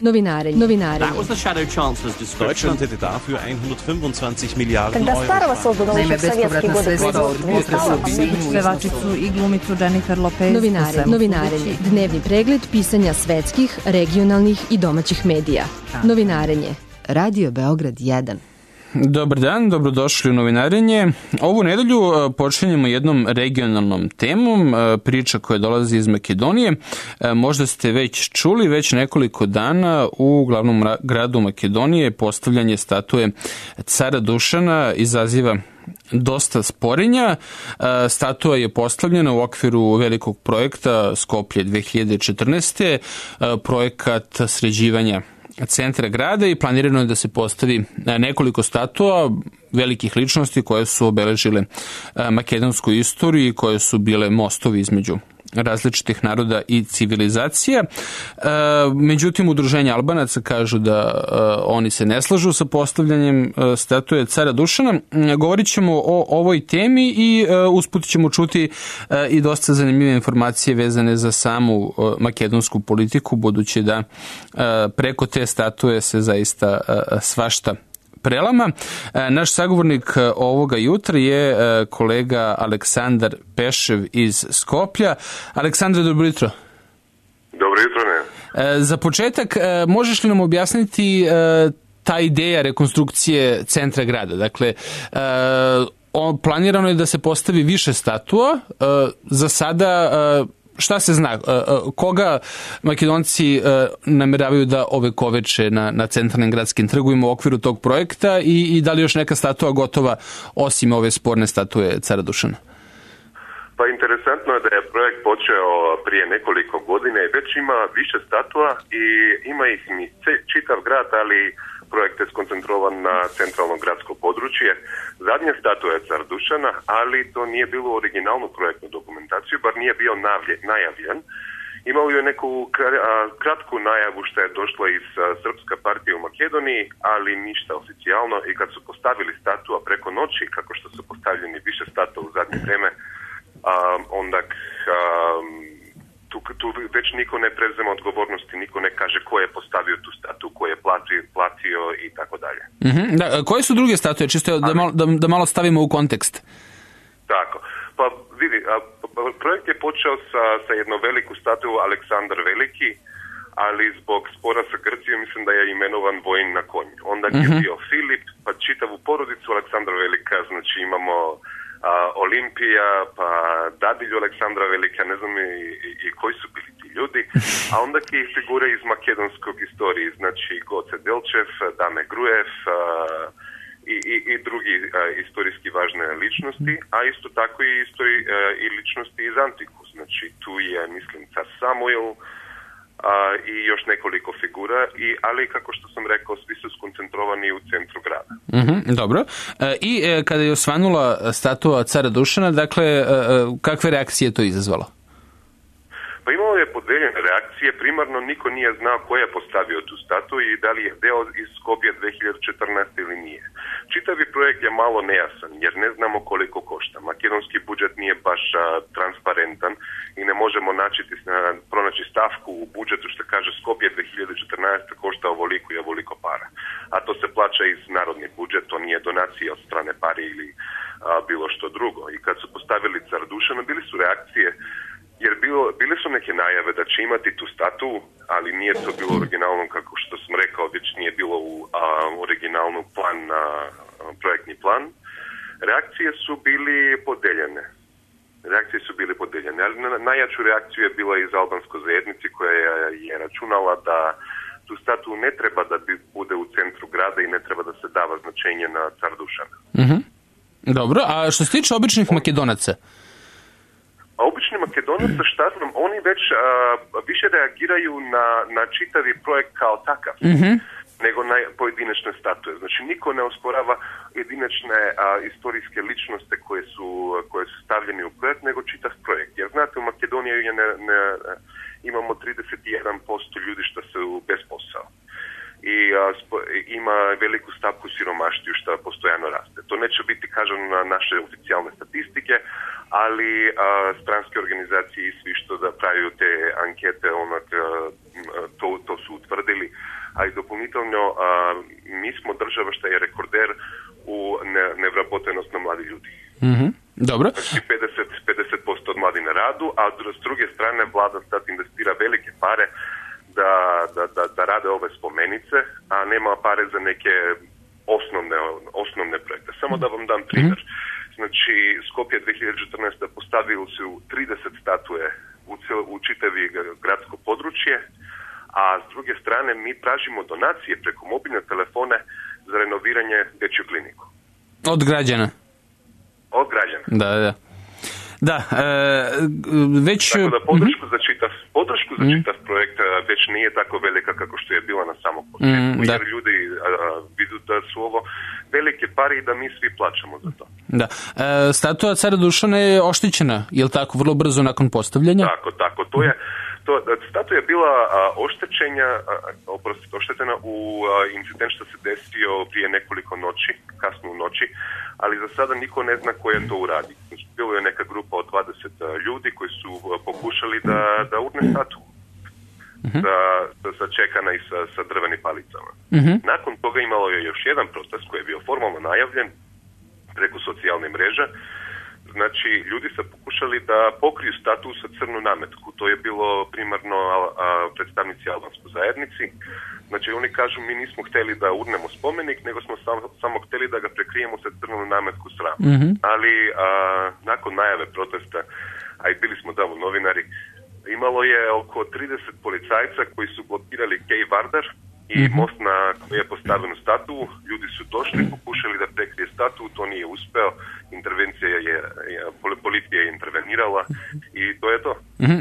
Novinarenje. That was the Shadow Chancellor's description. Deutschland hätte dafür 125 Miliarden Когда Euro. Старого создано еще в советские годы Pevačicu i glumicu Jennifer Lopez. Novinarenje. Dnevni pregled pisanja svetskih, regionalnih i domaćih medija. Novinarenje. Radio Beograd 1. Dobar dan, dobrodošli u Novinarenje. Ovu nedelju počinjemo jednom regionalnom temom, priča koja dolazi iz Makedonije. Možda ste već čuli, već nekoliko dana u glavnom gradu Makedonije postavljanje statue cara Dušana izaziva dosta sporenja. Statua je postavljena u okviru velikog projekta Skoplje 2014. Projekat sređivanja centra grada i planirano je da se postavi nekoliko statua velikih ličnosti koje su obeležile makedonsku istoriju i koje su bile mostovi između različitih naroda i civilizacija. Međutim, udruženja Albanaca kažu da oni se ne slažu sa postavljanjem statue cara Dušana. Govorit ćemo o ovoj temi i usput ćemo čuti i dosta zanimljive informacije vezane za samu makedonsku politiku, budući da preko te statue se zaista svašta prelama. Naš sagovornik ovoga jutra je kolega Aleksandar Pešev iz Skoplja. Aleksandre, dobro jutro. Dobro jutro, ne. Za početak, možeš li nam objasniti ta ideja rekonstrukcije centra grada? Dakle, planirano je da se postavi više statua. Za sada šta se zna? Koga Makedonci nameravaju da ovekoveče na centralnim gradskim trgovima u okviru tog projekta i da li još neka statua gotova osim ove sporne statue cara Dušana? Pa interesantno je da je projekt počeo prije nekoliko godina i već ima više statua i ima ih mi čitav grad, ali projekt je skoncentrovan na centralno gradsko područje. Zadnja statua je car Dušana, ali to nije bilo originalnu projektnu dokumentaciju, bar nije bio najavljen. Imao je neku kratku najavu što je došla iz Srpska partija u Makedoniji, ali ništa oficijalno. I kad su postavili statua preko noći, kako što su postavljeni više statua u zadnje vreme, onda tu već niko ne preuzema odgovornosti, niko ne kaže ko je postavio tu statu, ko je platio i tako dalje. Koje su druge statue, čisto da malo stavimo u kontekst? Tako, pa vidi, projekt je počeo sa jednom veliku statu Aleksandar Veliki, ali zbog spora sa Grcijom mislim da je imenovan vojn na konju. Onda je bio Filip, pa čitavu porodicu Aleksandra Velika, znači imamo Olimpija, pa dadilju Aleksandra Velika, ne znam i koji su bili ti ljudi, a onda ki figure iz makedonskog istorije, znači Goce Delčev, Dame Grujev i drugi istorijski važne ličnosti, a isto tako i ličnosti iz Antiku, znači tu je, mislim, car Samuel i još nekoliko figura, ali kako što sam rekao, svi su skoncentrovani u centru grada. Dobro. I kada je osvanula statua cara Dušana, dakle, kakve reakcije je to izazvalo? Pa imalo je podeljene reakcije, primarno niko nije znao ko je postavio tu statu i da li je deo iz Skopje 2014. ili nije. Čitavi projekt je malo nejasan jer ne znamo koliko košta. Makedonski budžet nije baš transparentan i ne možemo pronaći stavku u budžetu što kaže Skopje 2014. košta ovoliko i ovoliko para. A to se plaća iz narodni budžet, to nije donacija od strane pari ili bilo što drugo. I kad su postavili car Dušana, bili su reakcije jer bile su neke najave da će imati tu statu, ali nije to bilo originalno, kako što sam rekao, već nije bilo u originalnu projektni plan. Reakcije su bili podeljene, ali najjaču reakciju je bila iz albanskoj zajednici koja je računala da tu statu ne treba da bude u centru grada i ne treba da se dava značenje na car Dušana. Dobro, a što se tiče običnih Makedonaca? A obični Makedonaca, šta znam, oni već više reagiraju na čitavi projekt kao takav, nego na pojedinačne statue. Znači, niko ne osporava jedinačne istorijske ličnosti koje su stavljeni u projekt, nego čitav projekt. Jer znate, u Makedoniji imamo 31% ljudi što su bez posao. I ima veliku stavku siromaštvu što postojano raste. To neće biti, kažem, na naše oficijalne statistike, ali stranske organizacije i svi što da praviju te ankete, to su utvrdili a i dopunitelno mi smo država što je rekorder u nevrabotenosti mladi ljudi. Dobro. Znači 50% od mladi na radu, a s druge strane vlada sad investira velike pare da rade ove spomenice, a nema pare za neke osnovne projekte. Samo da vam dam primjer. Znači, Skopje 2014. postavili su 30 statue u čitavi gradsko područje, a s druge strane mi tražimo donacije preko mobilne telefone za renoviranje dječju kliniku. Od građana? Od građana. Da, već... Tako da podršku za čitav projekt već nije tako velika kako što je bila na samom početku, jer ljudi vidu da su ovo velike pare i da mi svi plaćamo za to. Da. Statua cara Dušana je oštećena, je li tako, vrlo brzo nakon postavljanja? Tako. Statua je bila oštetena u incident što se desio prije nekoliko noći, kasno u noći, ali za sada niko ne zna ko je to uradio. Bilo je neka grupa od 20 ljudi koji su pokušali da urne statu. Sačekana i sa drvenim palicama. Nakon toga imalo je još jedan protest koji je bio formalno najavljen preko socijalne mreže. Znači, ljudi su pokušali da pokriju statu sa crnu nametku. To je bilo primarno predstavnici albanskoj zajednici. Znači, oni kažu, mi nismo htjeli da urnemo spomenik, nego smo samo htjeli da ga prekrijemo sa crnu nametku sram. Ali nakon najave protesta, a i bili smo tamo novinari, imalo je oko 30 policajca koji su blokirali Kej Vardar i most na koji je postavljenu statu. Ljudi su došli, pokušali da prekrije statu, to nije uspeo. Policija je intervenirala i to je to.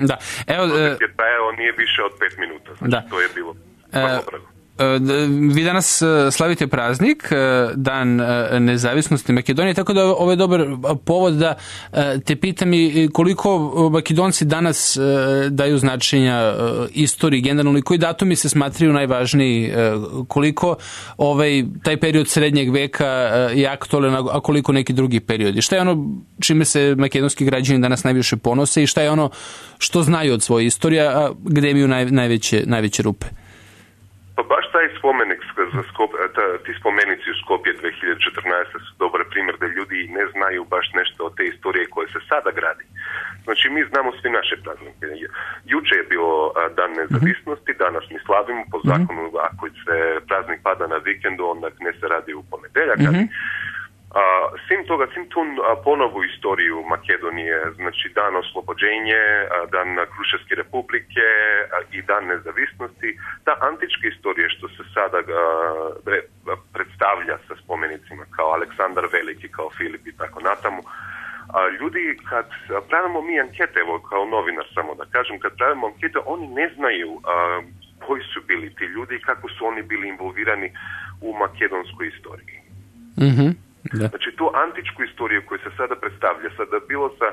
Da. Evo, protest je trajao nije više od 5 minuta. Znači, to je bilo vrlo brzo. Vi danas slavite praznik, Dan nezavisnosti Makedonije, tako da ovo je dobar povod da te pitam i koliko Makedonci danas daju značenja istoriji generalno i koji datumi se smatraju najvažniji, koliko taj period srednjeg veka je aktualan, a koliko neki drugi periodi. Šta je ono čime se makedonski građani danas najviše ponose i šta je ono što znaju od svoje istorije, a gde imaju najveće rupe? Pa baš taj spomenik, ti spomenici u Skopje 2014. su dobar primjer da ljudi ne znaju baš nešto o te istorije koje se sada gradi. Znači, mi znamo svi naše praznike. Juče je bilo Dan nezavisnosti, danas mi slavimo po zakonu, ako se praznik pada na vikendu, onda ne se radi u ponedjeljak. Sim tu ponovu istoriju Makedonije, znači Dan oslobođenje, Dan Kruševske republike i Dan nezavisnosti, ta antička istorija što se sada predstavlja sa spomenicima kao Aleksandar Veliki, kao Filip i tako natamo. Ljudi, kad pravimo mi ankete, evo kao novinar samo da kažem, kad pravimo ankete, oni ne znaju koji su bili ti ljudi i kako su oni bili involvirani u makedonskoj istoriji. Da. Znači, tu antičku istoriju koju se sada predstavlja, sada bilo sa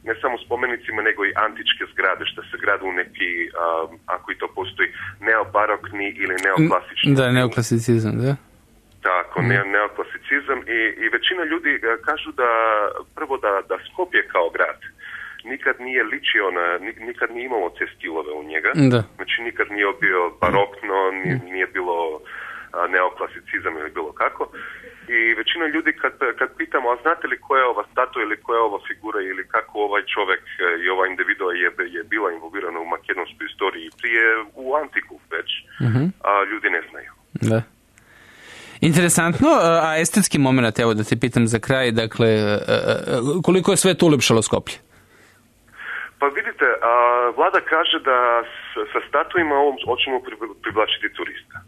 ne samo spomenicima, nego i antičke zgrade, što se grade u neki, ako i to postoji, neobarokni ili neoklasični. Da, neoklasicizam, da. Tako, neoklasicizam i većina ljudi kažu da, prvo da Skopje kao grad nikad nije ličio nikad nije imalo te stilove u njega. Da. Znači, nikad nije bio barokno, nije bilo neoklasicizam ili bilo kako. I većina ljudi kad pitamo, a znate li koja je ova statua ili koja je ova figura ili kako ovaj čovjek i ova individua je bila involvirana u makedonskoj istoriji prije u antiku već, a ljudi ne znaju. Da. Interesantno, a estetski moment, evo da te pitam za kraj, dakle, koliko je sve to ulepšalo Skoplje? Pa vidite, vlada kaže da sa statuima hoćemo privlačiti turista.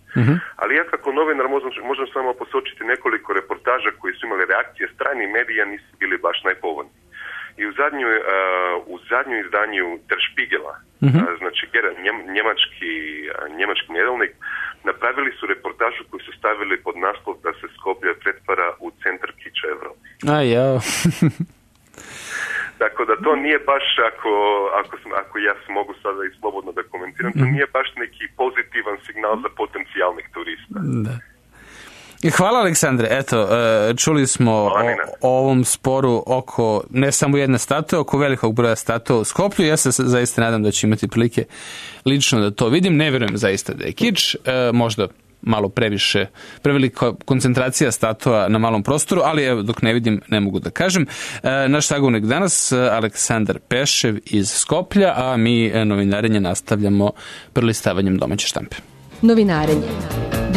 Ali ja kako novinar možem samo posočiti nekoliko reportaža koji su imali reakcije stranih medija, nisu bili baš najpovoljniji. I u zadnju izdanju Der Spiegela, znači njemački nedeljnik, napravili su reportažu koju su stavili pod naslov da se Skopje pretvara u centar kiča Evrope. Tako da to nije baš, ako ja mogu sada i slobodno da komentiram, to nije baš neki pozitivan signal za potencijalnih turista. Da. Hvala, Aleksandre. Eto, čuli smo o ovom sporu oko ne samo jedne statue, oko velikog broja statua u Skoplju. Ja se zaista nadam da ću imati prilike lično da to vidim. Ne vjerujem zaista da je kič. Možda malo prevelika koncentracija statua na malom prostoru, ali evo, dok ne vidim, ne mogu da kažem. Naš sagovornik danas, Aleksandar Pešev iz Skoplja, a mi novinarenje nastavljamo prelistavanjem domaće štampe. Novinarenje.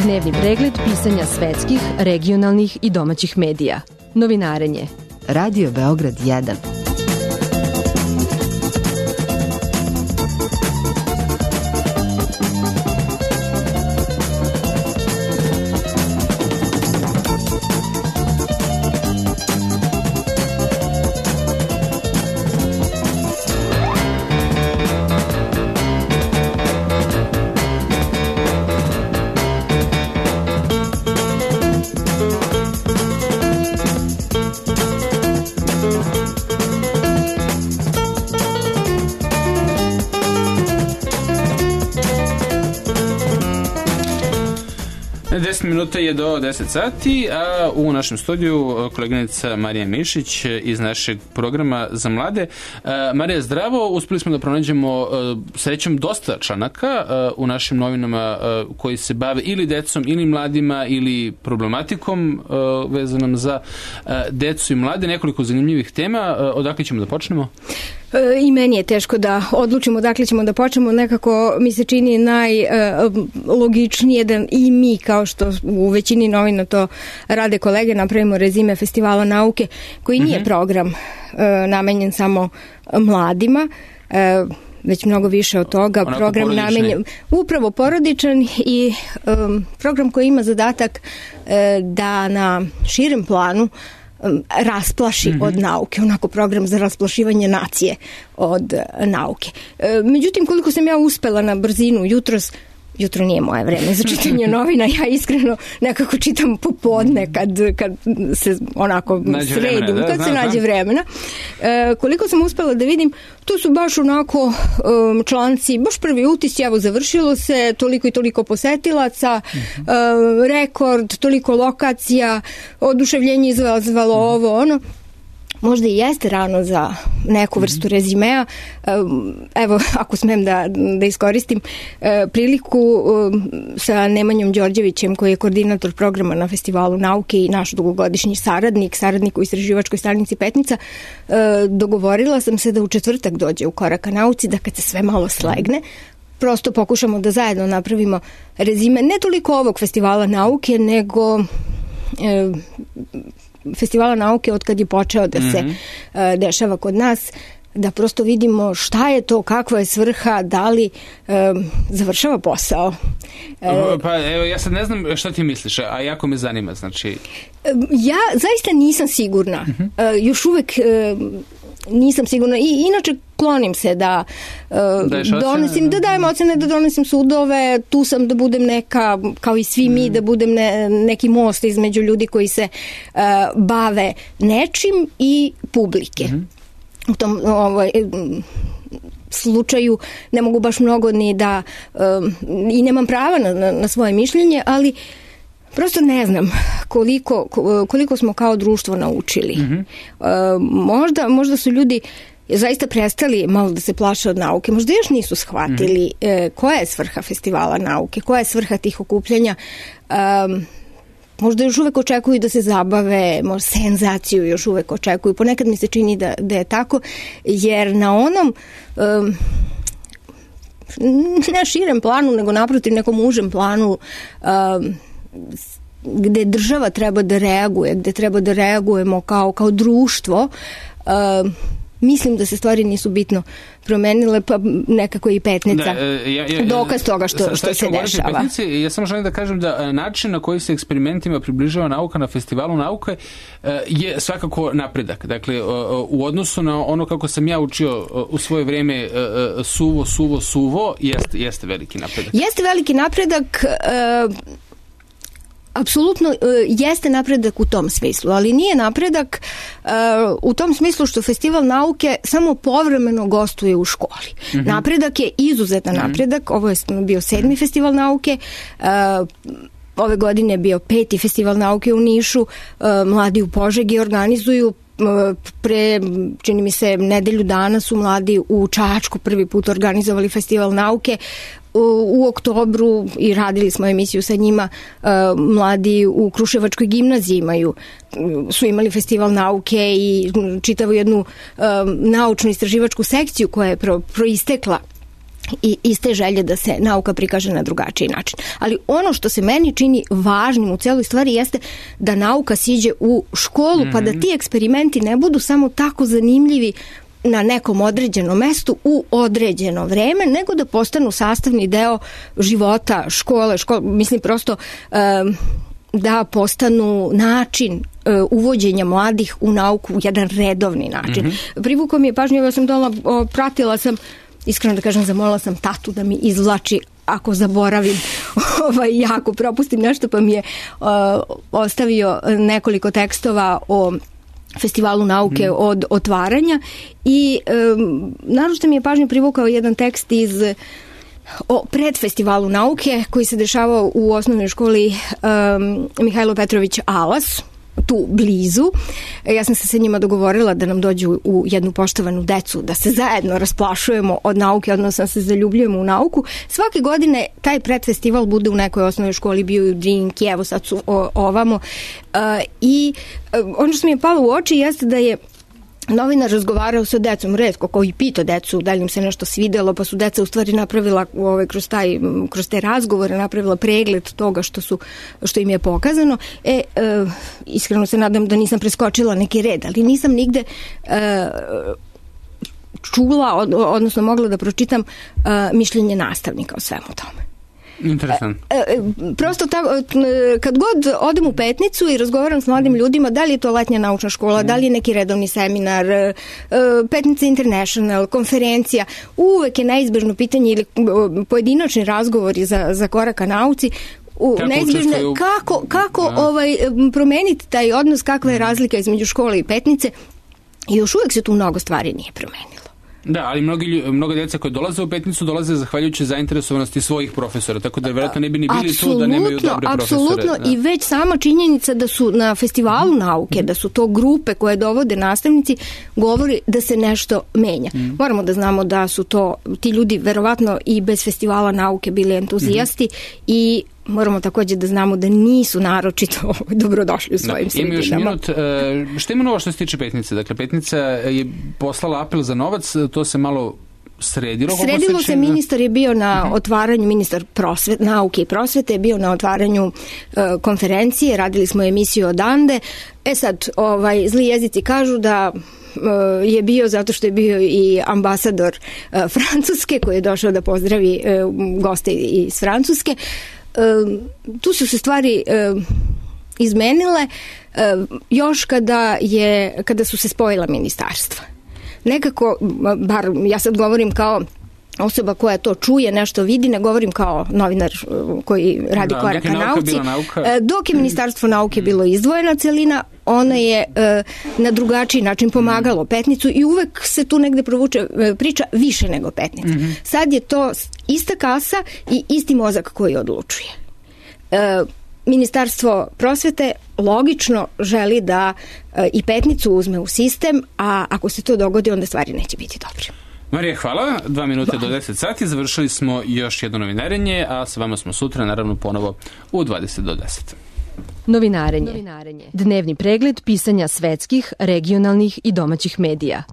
Dnevni pregled pisanja svetskih, regionalnih i domaćih medija. Novinarenje. Radio Beograd 1. Minuta je do 10 sati, a u našem studiju koleginica Marija Mišić iz našeg programa za mlade. Marija, zdravo, uspeli smo da pronađemo srećom dosta članaka u našim novinama koji se bave ili decom, ili mladima, ili problematikom vezanom za decu i mlade. Nekoliko zanimljivih tema. Odakle ćemo da počnemo? I meni je teško da odlučimo odakle ćemo da počnemo. Nekako mi se čini najlogičnije da i mi, kao što u većini novina to rade kolege, napravimo rezime Festivala nauke, koji nije program namenjen samo mladima, već mnogo više od toga. Onako program namenjen upravo porodičan i program koji ima zadatak da na širem planu rasplaši od nauke, onako program za rasplašivanje nacije od nauke. Međutim, koliko sam ja uspela na brzinu jutro nije moje vreme za čitanje novina, ja iskreno nekako čitam popodne kad se onako sredim, kad se nađe vremena. Koliko sam uspela da vidim, to su baš onako članci, baš prvi utis, evo završilo se, toliko i toliko posetilaca, rekord, toliko lokacija, oduševljenje izazvalo ovo, ono. Možda i jeste rano za neku vrstu rezimea. Evo, ako smem da iskoristim priliku sa Nemanjom Đorđevićem, koji je koordinator programa na Festivalu nauke i naš dugogodišnji saradnik u istraživačkoj stanici Petnica, dogovorila sam se da u četvrtak dođe u Korak ka nauci, da kad se sve malo slegne, prosto pokušamo da zajedno napravimo rezime, ne toliko ovog Festivala nauke, nego Festivala nauke od kad je počeo da se dešava kod nas, da prosto vidimo šta je to, kakva je svrha, da li završava posao. Pa evo, ja sad ne znam šta ti misliš, a jako me zanima, znači... Ja zaista nisam sigurna. Još uvek nisam sigurna. I inače klonim se da donosim, da dajem ocene, da donosim sudove, tu sam da budem neka, kao i svi mi, da budem neki most između ljudi koji se bave nečim i publike. U tom slučaju ne mogu baš mnogo ni da i nemam prava na svoje mišljenje, ali prosto ne znam koliko smo kao društvo naučili. Možda su ljudi zaista prestali malo da se plaše od nauke. Možda još nisu shvatili koja je svrha Festivala nauke, koja je svrha tih okupljanja. Možda još uvek očekuju da se zabave, možda senzaciju još uvek očekuju. Ponekad mi se čini da je tako, jer na onom ne širem planu, nego naprotiv nekom užem planu, gde država treba da reaguje, gde treba da reagujemo kao društvo, mislim da se stvari nisu bitno promenile, pa nekako i Petnica dokaz toga što se dešava. Petnici, ja samo želim da kažem da način na koji se eksperimentima približava nauka na Festivalu nauke je svakako napredak. Dakle, u odnosu na ono kako sam ja učio u svoje vreme suvo, jeste veliki napredak. Jeste veliki napredak, apsolutno jeste napredak u tom smislu, ali nije napredak u tom smislu što Festival nauke samo povremeno gostuje u školi. Napredak je izuzetan napredak. Ovo je bio 7. Festival nauke, ove godine je bio 5. Festival nauke u Nišu, mladi u Požegi organizuju, pre, čini mi se, nedelju dana su mladi u Čačku prvi put organizovali Festival nauke. u oktobru i radili smo emisiju sa njima, mladi u Kruševačkoj gimnaziji su imali festival nauke i čitavu jednu naučnu istraživačku sekciju koja je proistekla i iste želje da se nauka prikaže na drugačiji način. Ali ono što se meni čini važnim u celoj stvari jeste da nauka siđe u školu, pa da ti eksperimenti ne budu samo tako zanimljivi na nekom određenom mestu u određeno vreme, nego da postanu sastavni deo života škole. Mislim prosto da postanu način uvođenja mladih u nauku, jedan redovni način. Privukao mi je pažnju, ja sam pratila sam, iskreno da kažem, zamolila sam tatu da mi izvlači ako zaboravim, jako propustim nešto, pa mi je ostavio nekoliko tekstova o festivalu nauke od otvaranja i naročito mi je pažnju privukao jedan tekst o predfestivalu nauke koji se dešavao u osnovnoj školi Mihajlo Petrović Alas, tu blizu. Ja sam se sa njima dogovorila da nam dođu u jednu poštovanu decu, da se zajedno rasplašujemo od nauke, odnosno se zaljubljujemo u nauku. Svake godine taj predfestival bude u nekoj osnovnoj školi, bio i u Drinki, evo sad su ovamo. I ono što mi je palo u oči jeste da je novinar razgovarao sa decom, retko koji pita decu da li im se nešto svidelo, pa su deca u stvari napravila kroz te razgovore napravila pregled toga što im je pokazano. Iskreno se nadam da nisam preskočila neki red, ali nisam nigde čula, odnosno mogla da pročitam mišljenje nastavnika o svemu tome. Interesantno. Prosto kad god odem u Petnicu i razgovaram s mladim ljudima, da li je to letnja naučna škola, da li je neki redovni seminar, Petnica International, konferencija, uvek je neizbežno pitanje ili pojedinačni razgovori za korak ka nauci, neizbežno kako promeniti taj odnos, kakva je razlika između škole i Petnice, i još uvek se tu mnogo stvari nije promenilo. Da, ali mnogo djeca koje dolaze u Petnicu dolaze zahvaljujući zainteresovanosti svojih profesora, tako da vjerojatno ne bi ni bili tu da nemaju dobre profesore. Apsolutno, i već sama činjenica da su na festivalu nauke, da su to grupe koje dovode nastavnici, govori da se nešto menja. Moramo da znamo da su ti ljudi verovatno i bez festivala nauke bili entuzijasti i moramo također da znamo da nisu naročito dobrodošli u svojim sredinama. Ima još minut. Što ima novo što se tiče Petnice? Dakle, Petnica je poslala apel za novac, to se malo sredilo. Sredilo se, ministar je bio na otvaranju, ministar nauke i prosvete je bio na otvaranju konferencije, radili smo emisiju odande. Sad, zli jezici kažu da je bio zato što je bio i ambasador Francuske koji je došao da pozdravi goste iz Francuske. Tu su se stvari izmenile još kada su se spojila ministarstva. Nekako, bar ja sad govorim kao osoba koja to čuje, nešto vidi, ne govorim kao novinar koji radi korak ka nauci. Dok je Ministarstvo nauke bilo izdvojena celina, ona je na drugačiji način pomagalo Petnicu i uvek se tu negde provuče priča više nego Petnica. Sad je to ista kasa i isti mozak koji odlučuje. Ministarstvo prosvete logično želi da i Petnicu uzme u sistem, a ako se to dogodi, onda stvari neće biti dobre. Marija, hvala. 2 minute do 10 sati. Završili smo još jedno novinarenje, a s vama smo sutra, naravno, ponovo u 20 do 10. Novinarenje. Dnevni pregled pisanja svetskih, regionalnih i domaćih medija.